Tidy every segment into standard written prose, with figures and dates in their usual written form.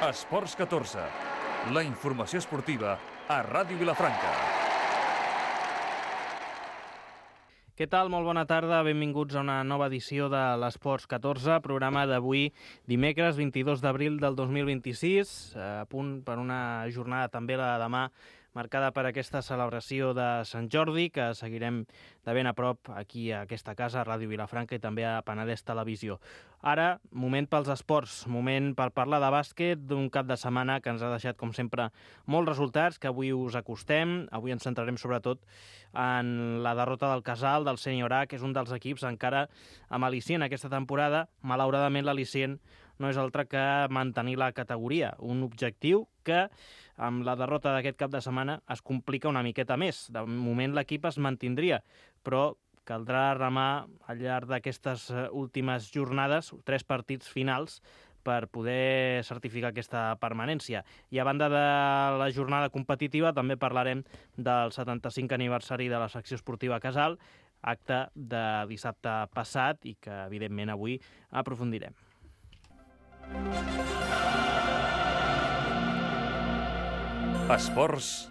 Esports 14, la informació esportiva a Ràdio Vilafranca. Què tal? Molt bona tarda, benvinguts a una nova edició de l'Esports 14, programa d'avui dimecres 22 d'abril del 2026, a punt per una jornada també la de demà marcada per aquesta celebració de Sant Jordi, que seguirem de ben a prop aquí a aquesta casa, a Ràdio Vilafranca i també a Penedès Televisió. Ara, moment pels esports, moment per parlar de bàsquet, d'un cap de setmana que ens ha deixat, com sempre, molts resultats, que avui us acostem. Avui ens centrarem sobretot en la derrota del Casal, del Sènior A, que és un dels equips encara amb al·licient aquesta temporada. Malauradament, l'al·licient no és altre que mantenir la categoria, un objectiu que amb la derrota d'aquest cap de setmana es complica una miqueta més. De moment l'equip es mantindria, però caldrà remar al llarg d'aquestes últimes jornades, 3 partits finals, per poder certificar aquesta permanència. I a banda de la jornada competitiva també parlarem del 75 aniversari de la secció esportiva Casal, acte de dissabte passat i que evidentment avui aprofundirem. Esports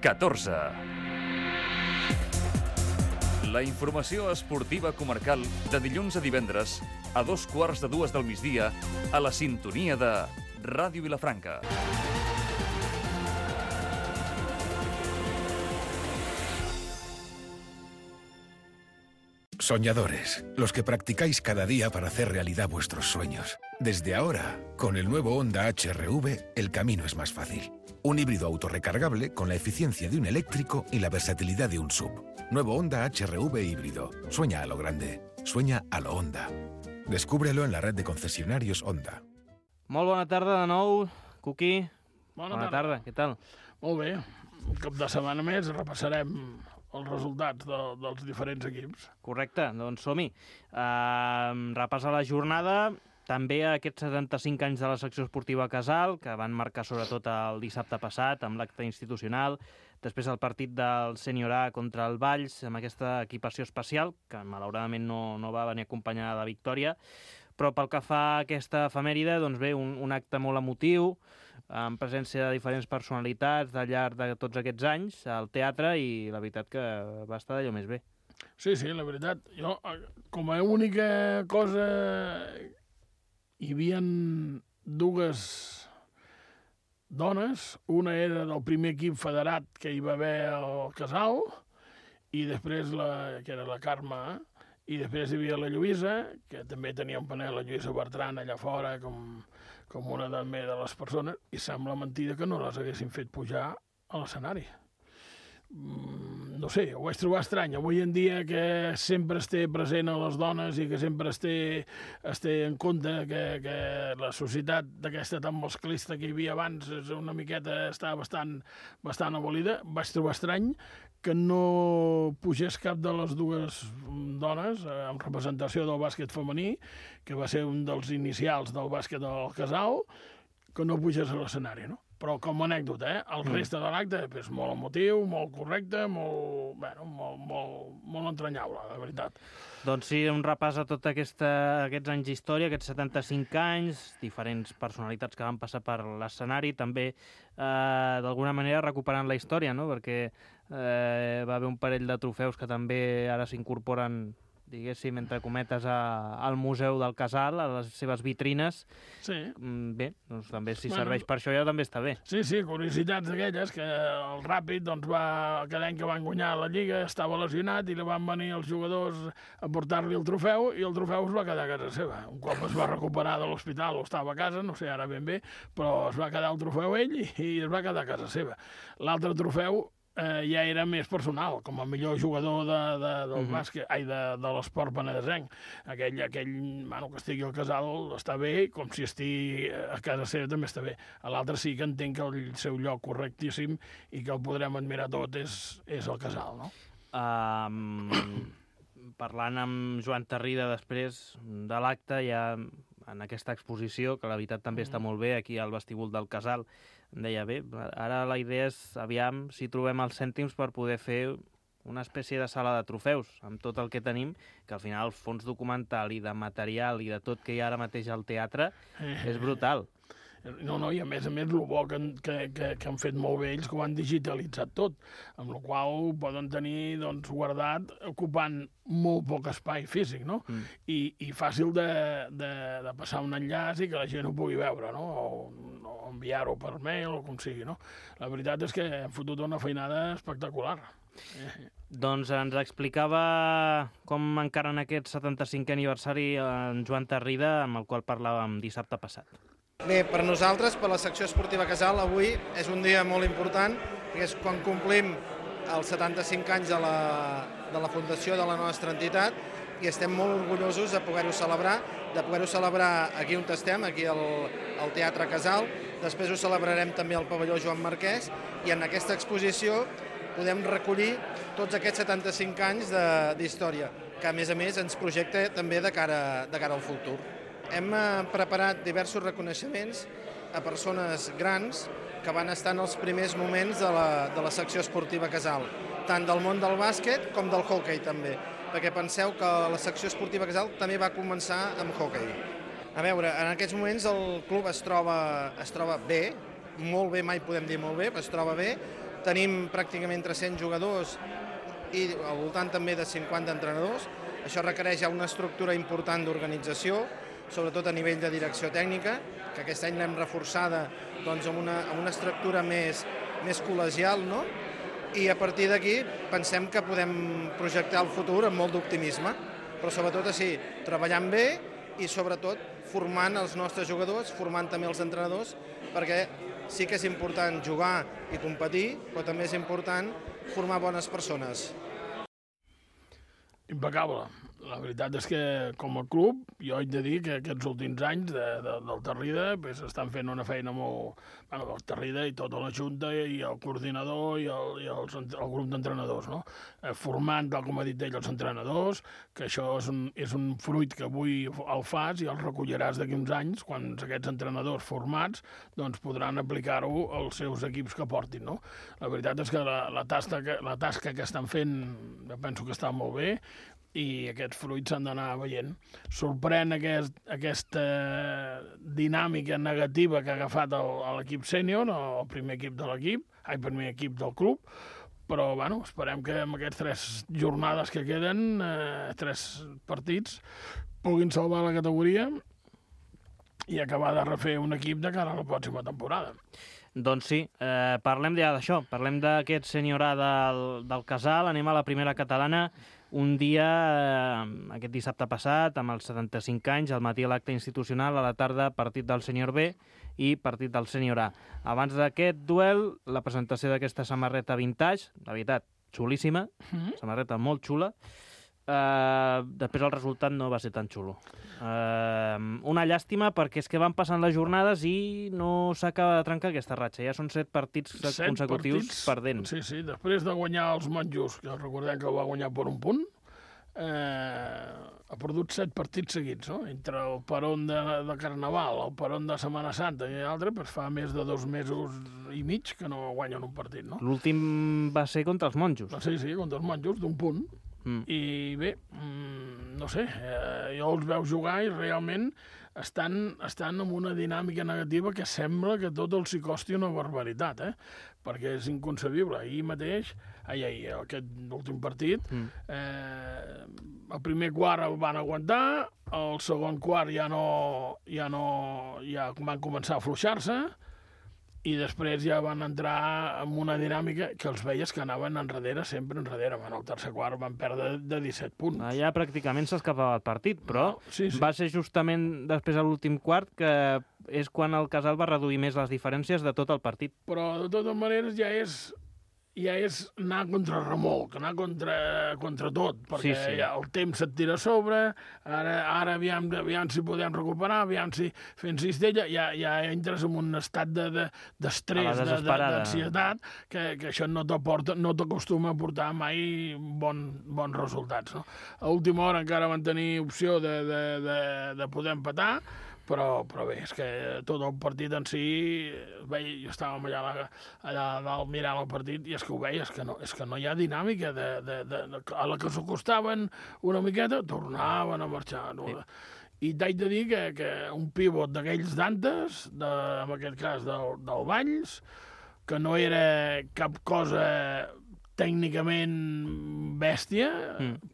14. La informació esportiva comarcal de dilluns a divendres a 2:15 del migdia a la sintonia de Ràdio Vilafranca. Soñadores, los que practicáis cada día para hacer realidad vuestros sueños. Desde ahora, con el nuevo Honda HR-V, el camino es más fácil. Un híbrido autorrecargable con la eficiencia de un eléctrico y la versatilidad de un SUV. Nuevo Honda HR-V híbrido. Sueña a lo grande. Sueña a lo Honda. Descúbrelo en la red de concesionarios Honda. Molt bona tarda de nou, Cuqui. Bona tarda, què tal? Molt bé. Un cap de setmana més repassarem els resultats dels diferents equips. Correcte, doncs som-hi. Repassa la jornada, també aquests 75 anys de la secció esportiva Casal, que van marcar sobretot el dissabte passat amb l'acte institucional, després el partit del Sènior A contra el Valls, amb aquesta equipació especial, que malauradament no va venir acompanyada de victòria, però pel que fa a aquesta efemèride, doncs bé, un acte molt emotiu, amb presència de diferents personalitats al llarg de tots aquests anys al teatre, i la veritat que va estar d'allò més bé. Sí, la veritat. Jo, com a única cosa, hi havia dues dones. Una era del primer equip federat que hi va haver al Casal, i després que era la Carme, i després hi havia la Lluïsa, que també tenia un panel, la Lluïsa Bertran, allà fora, com una també de les persones, i sembla mentida que no les haguessin fet pujar a l'escenari. No sé, ho vaig trobar estrany. Avui en dia que sempre es té present a les dones i que sempre es té en compte que la societat d'aquesta tan masclista que hi havia abans és una miqueta, està bastant abolida, vaig trobar estrany que no pugés cap de les dues dones en representació del bàsquet femení, que va ser un dels inicials del bàsquet del Casal, que no pugés a l'escenari, no? Però com a anècdota, el reste de l'acte és molt emotiu, molt correcte, molt entranyable, de veritat. Doncs sí, un repàs a tots aquests anys d'història, aquests 75 anys, diferents personalitats que van passar per l'escenari, també d'alguna manera recuperant la història, no? Perquè va haver un parell de trofeus que també ara s'incorporen, diguéssim, entre cometes, al Museu del Casal, a les seves vitrines. Sí. Bé, doncs també si serveix per això ja també està bé. Sí, curiositats d'aquelles, que el Ràpid, doncs cada any que van guanyar la Lliga estava lesionat i li van venir els jugadors a portar-li el trofeu, i el trofeu es va quedar a casa seva. Un cop es va recuperar de l'hospital o estava a casa, no sé ara ben bé, però es va quedar el trofeu ell i es va quedar a casa seva. L'altre trofeu ja era més personal, com a millor jugador del bàsquet, de l'esport penedesenc. Aquell, que estigui al Casal està bé, com si estigui a casa seva també està bé. A l'altre sí que entenc que el seu lloc correctíssim i que el podrem admirar tot és el Casal, no? Parlant amb Joan Tarrida després de l'acte, ja en aquesta exposició, que la veritat també està molt bé, aquí al vestíbul del Casal, em deia, bé, ara la idea és, aviam, si trobem els cèntims per poder fer una espècie de sala de trofeus, amb tot el que tenim, que al final el fons documental i de material i de tot que hi ha ara mateix al teatre és brutal. No, i a més, el bo que han fet molt bé ells, que ho han digitalitzat tot, amb la qual ho poden tenir guardat, ocupant molt poc espai físic, no? I fàcil de passar un enllaç i que la gent ho pugui veure, no? O enviar-ho per mail o com sigui, no? La veritat és que hem fotut una feinada espectacular. Doncs ens explicava com encara en aquest 75è aniversari en Joan Tarrida, amb el qual parlàvem dissabte passat. Bé, per nosaltres, per la secció esportiva Casal, avui és un dia molt important, perquè és quan complim els 75 anys de la fundació de la nostra entitat i estem molt orgullosos de poder-ho celebrar aquí on estem, aquí al Teatre Casal. Després ho celebrarem també al pavelló Joan Marquès i en aquesta exposició podem recollir tots aquests 75 anys d'història, que a més ens projecta també de cara al futur. Hem preparat diversos reconeixements a persones grans que van estar en els primers moments de la secció esportiva Casal, tant del món del bàsquet com del hoquei també, perquè penseu que la secció esportiva Casal també va començar amb hoquei. A veure, en aquests moments el club es troba bé, molt bé, mai podem dir molt bé, però es troba bé. Tenim pràcticament 300 jugadors i al voltant també de 50 entrenadors. Això requereix una estructura important d'organització, sobretot a nivell de direcció tècnica, que aquest any l'hem reforçada amb una estructura més col·legial, no? I a partir d'aquí pensem que podem projectar el futur amb molt d'optimisme, però sobretot així, treballant bé i sobretot formant els nostres jugadors, formant també els entrenadors, perquè sí que és important jugar i competir, però també és important formar bones persones. Impecable. La veritat és que, com a club, jo haig de dir que aquests últims anys del Tarrida estan fent una feina molt... Bueno, el Tarrida i tota la Junta i el coordinador i el grup d'entrenadors, no? Formant, tal com ha dit ell, els entrenadors, que això és un fruit que avui el fas i el recolliràs d'aquí uns anys, quan aquests entrenadors formats podran aplicar-ho als seus equips que portin, no? La veritat és que la tasca que estan fent, penso que està molt bé, i aquests fruits s'han d'anar veient. Sorprèn aquesta dinàmica negativa que ha agafat l'equip sènior, el primer equip del club, però bueno, esperem que amb aquestes 3 jornades que queden, 3 partits, puguin salvar la categoria i acabar de refer un equip de cara a la pròxima temporada. Doncs sí, parlem ja d'això, parlem d'aquest sènior A del Casal, anem a la primera catalana. Un dia, aquest dissabte passat, amb els 75 anys, al matí l'acte institucional, a la tarda partit del sènior B i partit del sènior A. Abans d'aquest duel, la presentació d'aquesta samarreta vintage, la veritat, xulíssima, samarreta molt xula. Després el resultat no va ser tan xulo. Una llàstima perquè és que van passant les jornades i no s'acaba de trencar aquesta ratxa. Ja són 7 partits consecutius perdent. Sí, després de guanyar els monjos, que recordem que va guanyar per un punt, ha perdut 7 partits seguits, no? Entre el peron de Carnaval, el peron de Setmana Santa i l'altre, fa més de 2 mesos i mig que no guanyen un partit, no? L'últim va ser contra els monjos. Sí, contra els monjos, d'un punt. I bé, no sé, jo els veu jugar i realment estan en una dinàmica negativa que sembla que tot els hi costi una barbaritat, perquè és inconcebible. Ahir mateix, aquest últim partit, el primer quart el van aguantar, el segon quart ja van començar a afluixar-se, i després ja van entrar en una dinàmica que els veies que anaven sempre enrere. En el tercer quart van perdre de 17 punts. Ja pràcticament s'escapava el partit, però va ser justament després de l'últim quart que és quan el Casal va reduir més les diferències de tot el partit. Però de totes maneres ja és anar contra remolc, anar contra tot, perquè ja el temps se't tira a sobre, ara aviam si podem recuperar, aviam si fent cistella, ja entres en un estat d'estrès, d'ansietat, que això no t'acostuma a portar mai bons resultats, no? A última hora encara van tenir opció de poder empatar, però bé, és que tot el partit en si, jo estàvem allà dalt mirant el partit i és que ho veies, és que no hi ha dinàmica a la que s'acostaven una miqueta, tornaven a marxar. i t'haig de dir que un pivot d'aquells d'antes, en aquest cas del Valls, que no era cap cosa tècnicament bèstia,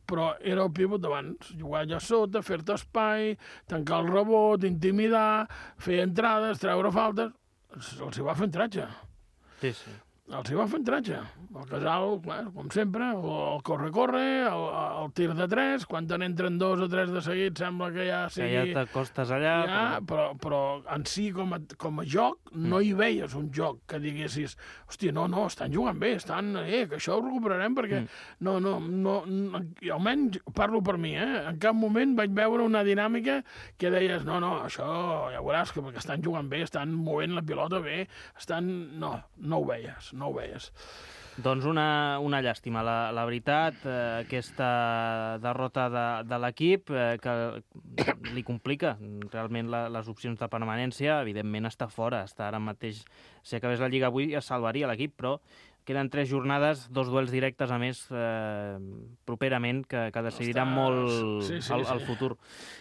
però era el pivot d'abans. Jugar allà sota, fer-te espai, tancar el rebot, intimidar, fer entrades, treure faltes. Els hi va fer entratge. Sí, sí. Els hi va fer entratge. El Casal, clar, com sempre, el corre-corre, el tir de 3, quan te n'entren 2 o 3 de seguit sembla que ja sigui... Que ja t'acostes allà... Ja, però en si, com a joc, no hi veies un joc que diguessis, hòstia, no, estan jugant bé, que això ho recuperarem perquè... No, almenys parlo per mi, en cap moment vaig veure una dinàmica que deies, no, això ja veuràs que perquè estan jugant bé, estan movent la pilota bé, No ho veies. Doncs una llàstima, la veritat, aquesta derrota de l'equip que li complica realment les opcions de permanència. Evidentment està fora, està ara mateix, si acabés la Lliga avui es salvaria l'equip, però queden 3 jornades, 2 duels directes a més properament que decidiran molt el futur.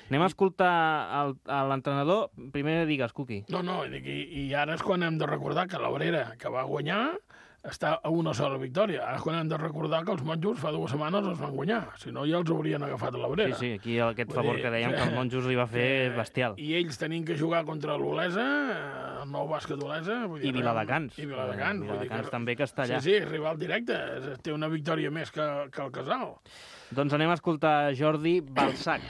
Anem a escoltar l'entrenador. Primer digues, Cuqui. No, i ara és quan hem de recordar que l'Obrera, que va guanyar, està a una sola victòria. Ara és quan hem de recordar que els monjos fa 2 setmanes els van guanyar. Si no, ja els haurien agafat a l'Obrera. Sí, aquí aquest favor que dèiem que els monjos li va fer bestial. I ells tenien que jugar contra l'Olesa, el nou bàsquet Olesa. I Viladecans. I Viladecans. Viladecans també, que està allà. Sí, rival directe. Té una victòria més que el Casal. Doncs anem a escoltar Jordi Balsac.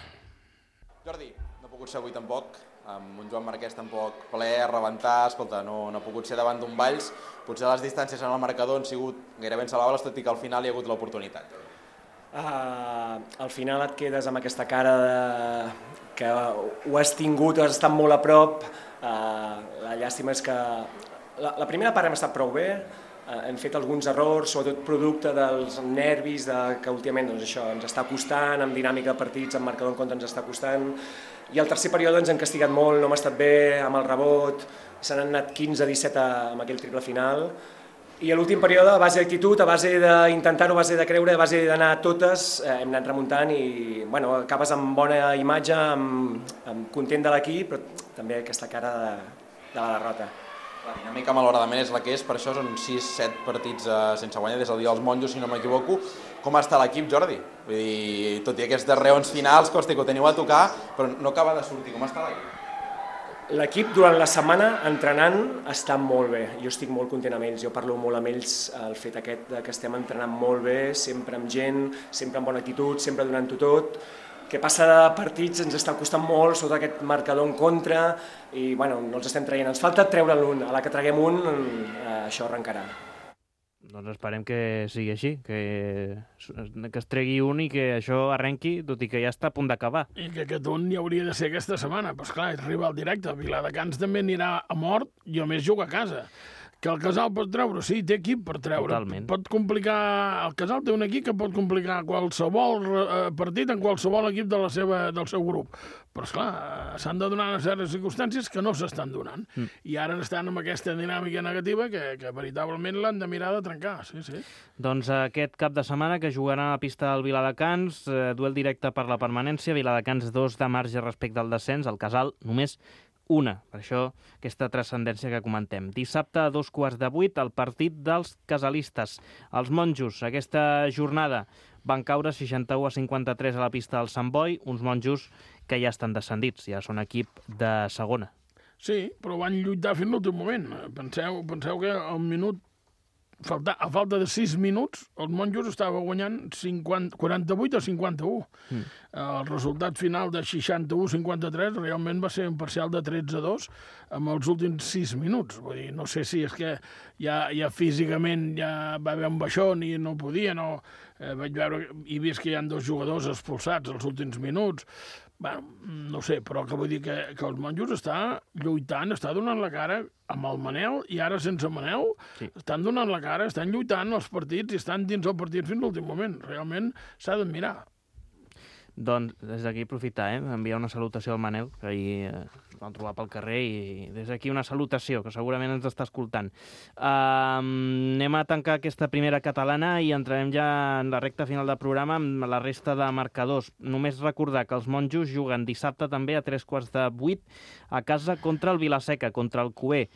Jordi, no ha pogut ser avui tampoc, amb un Joan Marquès tampoc ple, a rebentar, escolta, no ha pogut ser davant d'un Valls, potser les distàncies en el marcador han sigut gairebé insalvables, tot i que al final hi ha hagut l'oportunitat. Al final et quedes amb aquesta cara que ho has tingut, has estat molt a prop. La llàstima és que la primera part hem estat prou bé, hem fet alguns errors, sobretot producte dels nervis, que últimament això ens està costant, amb dinàmica de partits, amb marcador en contra ens està costant, i el tercer període ens hem castigat molt, no hem estat bé amb el rebot, se n'han anat 15-17 amb aquell triple final, i a l'últim període, a base d'actitud, a base d'intentar-ho, a base de creure, a base d'anar a totes, hem anat remuntant i acabes amb bona imatge, content de l'equip, però també aquesta cara de la derrota. La dinàmica malauradament és la que és, per això són 6-7 partits sense guanyar des del dia dels monjos, si no m'equivoco. Com està l'equip, Jordi? Vull dir, tot i aquestes reons finals, costa que ho teniu a tocar, però no acaba de sortir. Com està l'equip? L'equip durant la setmana entrenant està molt bé, jo estic molt content amb ells, jo parlo molt amb ells el fet aquest que estem entrenant molt bé, sempre amb gent, sempre amb bona actitud, sempre donant-ho tot. Que passa de partits ens està costant molt sota aquest marcador en contra i no els estem traient, ens falta treure l'un, a la que traguem un això arrencarà. Doncs esperem que sigui així, que es tregui un i que això arrenqui, tot i que ja està a punt d'acabar. I que aquest un hi hauria de ser aquesta setmana, però esclar, és rival directe, Viladecans també anirà a mort i a més juga a casa. Que el Casal pot treure, sí, té equip per treure. Totalment. Pot complicar... El Casal té un equip que pot complicar qualsevol partit en qualsevol equip del seu grup. Però, esclar, s'han de donar certes circumstàncies que no s'estan donant. I ara estan amb aquesta dinàmica negativa que veritablement l'han de mirar de trencar. Sí. Doncs aquest cap de setmana que jugaran a la pista del Viladecans, duel directe per la permanència, Viladecans 2 de marge respecte al descens, el Casal només 1. Per això aquesta transcendència que comentem. Dissabte a 7:15 el partit dels casalistes. Els monjos aquesta jornada van caure 61-53 a la pista del Sant Boi, uns monjos que ja estan descendits, ja són equip de segona. Sí, però van lluitar fins l'últim moment. Penseu que al minut, a falta de 6 minuts, els monjos estava guanyant 48-51. El resultat final de 61-53 realment va ser un parcial de 13-2 amb els últims 6 minuts. Vull dir, no sé si és que ja físicament ja va haver un baixón i no podia, vaig veure i vist que hi ha 2 jugadors expulsats als últims minuts. No sé, però que vull dir que els monjos està lluitant, està donant la cara amb el Manel i ara sense Manel, sí. Estan donant la cara, estan lluitant els partits i estan dins el partit fins l'últim moment. Realment s'ha d'admirar. Doncs des d'aquí aprofitar, enviar una salutació al Manel, que ahir vam trobar pel carrer i des d'aquí una salutació, que segurament ens està escoltant. Anem a tancar aquesta primera catalana i entrarem ja en la recta final del programa amb la resta de marcadors. Només recordar que els monjos juguen dissabte també a 7:45 a casa contra el Vilaseca, contra el Cuber.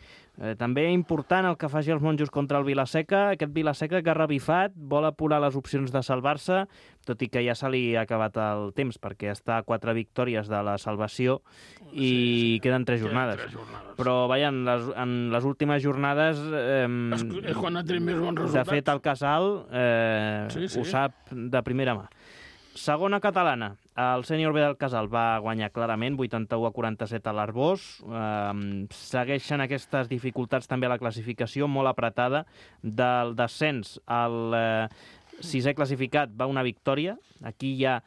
També important el que faci els monjos contra el Vilaseca, aquest Vilaseca que ha revifat, vol apurar les opcions de salvar-se, tot i que ja se li ha acabat el temps, perquè està a 4 victòries de la salvació i queden 3 jornades. Però, vaja, en les últimes jornades... és quan ha tret més bons resultats. De fet, el Casal ho sap de primera mà. Segona catalana, el sènior B del Casal va guanyar clarament, 81-47 a l'Arbós. Segueixen aquestes dificultats també a la classificació, molt apretada. Del descens al sisè classificat va una victòria. Aquí hi ha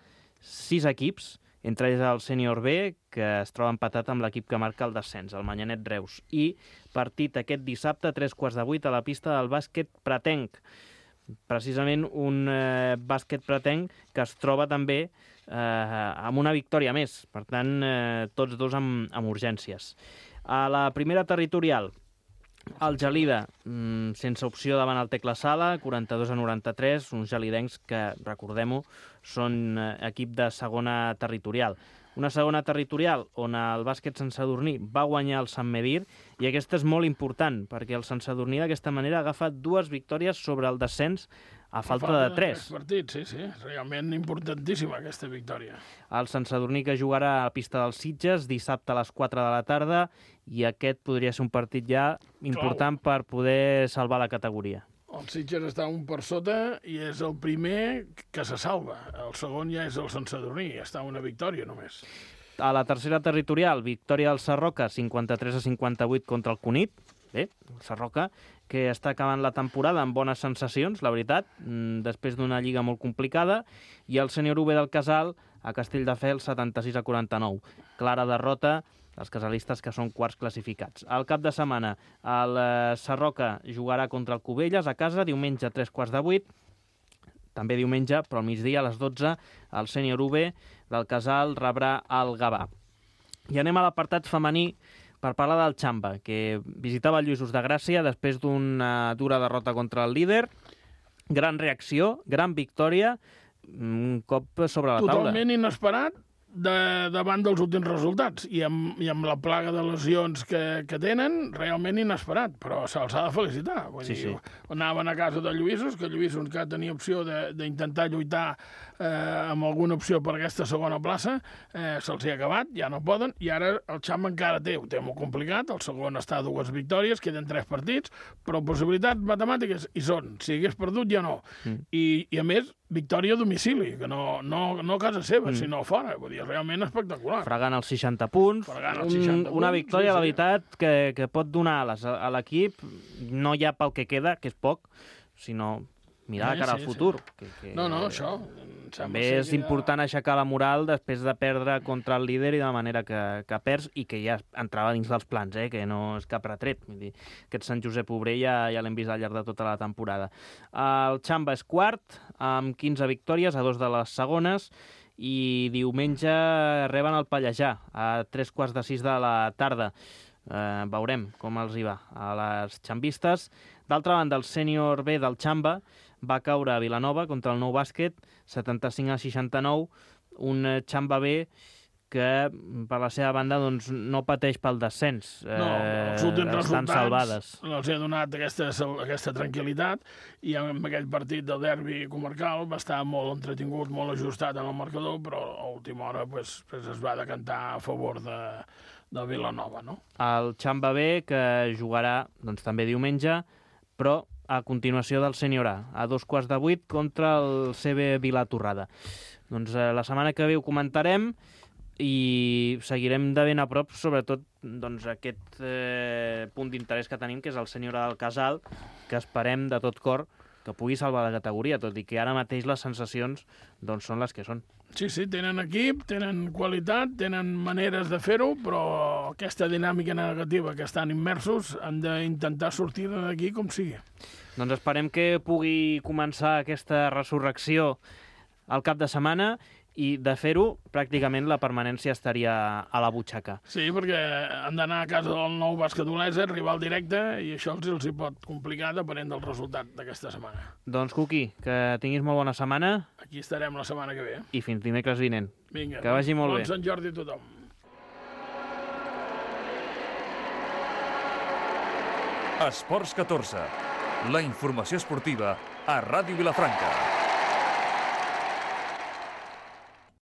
6 equips, entre ells el sènior B, que es troba empatat amb l'equip que marca el descens, el Manyanet Reus. I partit aquest dissabte a 7:45 a la pista del bàsquet Pratenc. Precisament un bàsquet Pratenc que es troba també amb una victòria més. Per tant, tots dos amb urgències. A la primera territorial, el Gelida, sense opció davant el Tecla Sala, 42-93, uns gelidencs que, recordem-ho, són equip de segona territorial. Una segona territorial on el bàsquet Sant Sadurní va guanyar el Sant Medir, i aquesta és molt important, perquè el Sant Sadurní d'aquesta manera ha agafat 2 victòries sobre el descens a falta de 3. Partits, sí, realment importantíssima aquesta victòria. El Sant Sadurní que jugarà a la pista dels Sitges dissabte a les 4 de la tarda, i aquest podria ser un partit ja important per poder salvar la categoria. El Sitges està un per sota i és el primer que se salva. El segon ja és el Sant Sadurní, està una victòria només. A la tercera territorial, victòria del Sarroca, 53-58 contra el Cunit. Bé, el Sarroca, que està acabant la temporada amb bones sensacions, la veritat, després d'una lliga molt complicada, i el sènior UB del Casal a Castelldefels, 76-49. Clara derrota els casalistes, que són quarts classificats. Al cap de setmana, el Sarroca jugarà contra el Cubelles a casa, diumenge a 7:45, també diumenge, però al migdia a les 12, el sènior UB del Casal rebrà el Gavà. I anem a l'apartat femení per parlar del Xamba, que visitava el Lluïsos de Gràcia després d'una dura derrota contra el líder. Gran reacció, gran victòria, un cop sobre la taula. Totalment inesperat davant dels últims resultats i amb la plaga de lesions que tenen, realment inesperat, però se'ls ha de felicitar. Vull dir, anaven a casa de Lluïsos, que Lluïsos que tenia opció d'intentar lluitar amb alguna opció per aquesta segona plaça, se'ls ha acabat, ja no poden, i ara el Xamba encara ho té molt complicat, el segon està a 2 victòries, queden 3 partits, però possibilitats matemàtiques hi són, si hagués perdut ja no. I a més, victòria a domicili, que no a casa seva, sinó fora. Vull dir, realment espectacular. Fregant els 60 punts. Una victòria, la veritat, que pot donar ales a l'equip, no ja pel que queda, que és poc, sinó mirar de cara al futur. No, això... També és important aixecar la moral després de perdre contra el líder i de la manera que perds, i que ja entrava dins dels plans, que no és cap retret. Vull dir, aquest Sant Josep Obrer ja l'hem vist al llarg de tota la temporada. El Xamba és quart, amb 15 victòries, a 2 de les segones, i diumenge reben el Pallejà, a 7:45 de la tarda. Veurem com els hi va a les xambistes. D'altra banda, el sènior B del Xamba va caure a Vilanova contra el Nou Bàsquet, 75-69, un Xamba B que, per la seva banda, doncs, no pateix pel descens. Els últims estan salvades. Els ha donat aquesta tranquil·litat, i en aquell partit del derbi comarcal va estar molt entretingut, molt ajustat en el marcador, però a última hora es va decantar a favor de Vilanova, no? El Xamba B, que jugarà també diumenge, però a continuació del sènior A 7:45 contra el CB Vilatorrada. Doncs la setmana que ve ho comentarem i seguirem de ben a prop, sobretot aquest punt d'interès que tenim, que és el sènior A del Casal, que esperem de tot cor que pugui salvar la categoria, tot i que ara mateix les sensacions són les que són. Sí, tenen equip, tenen qualitat, tenen maneres de fer-ho, però aquesta dinàmica negativa que estan immersos han d'intentar sortir d'aquí com sigui. Doncs esperem que pugui començar aquesta resurrecció al cap de setmana i de fer-ho, pràcticament la permanència estaria a la butxaca. Sí, perquè han d'anar a casa del Nou Bàsquet Olesa, rival directe, i això els hi pot complicar depenent del resultat d'aquesta setmana. Doncs, Cuqui, que tinguis molt bona setmana. Aquí estarem la setmana que ve. I fins dimecres vinent. Vinga, que vagi molt bé. Bon Sant Jordi a tothom. Esports 14. La informació esportiva a Ràdio Vilafranca.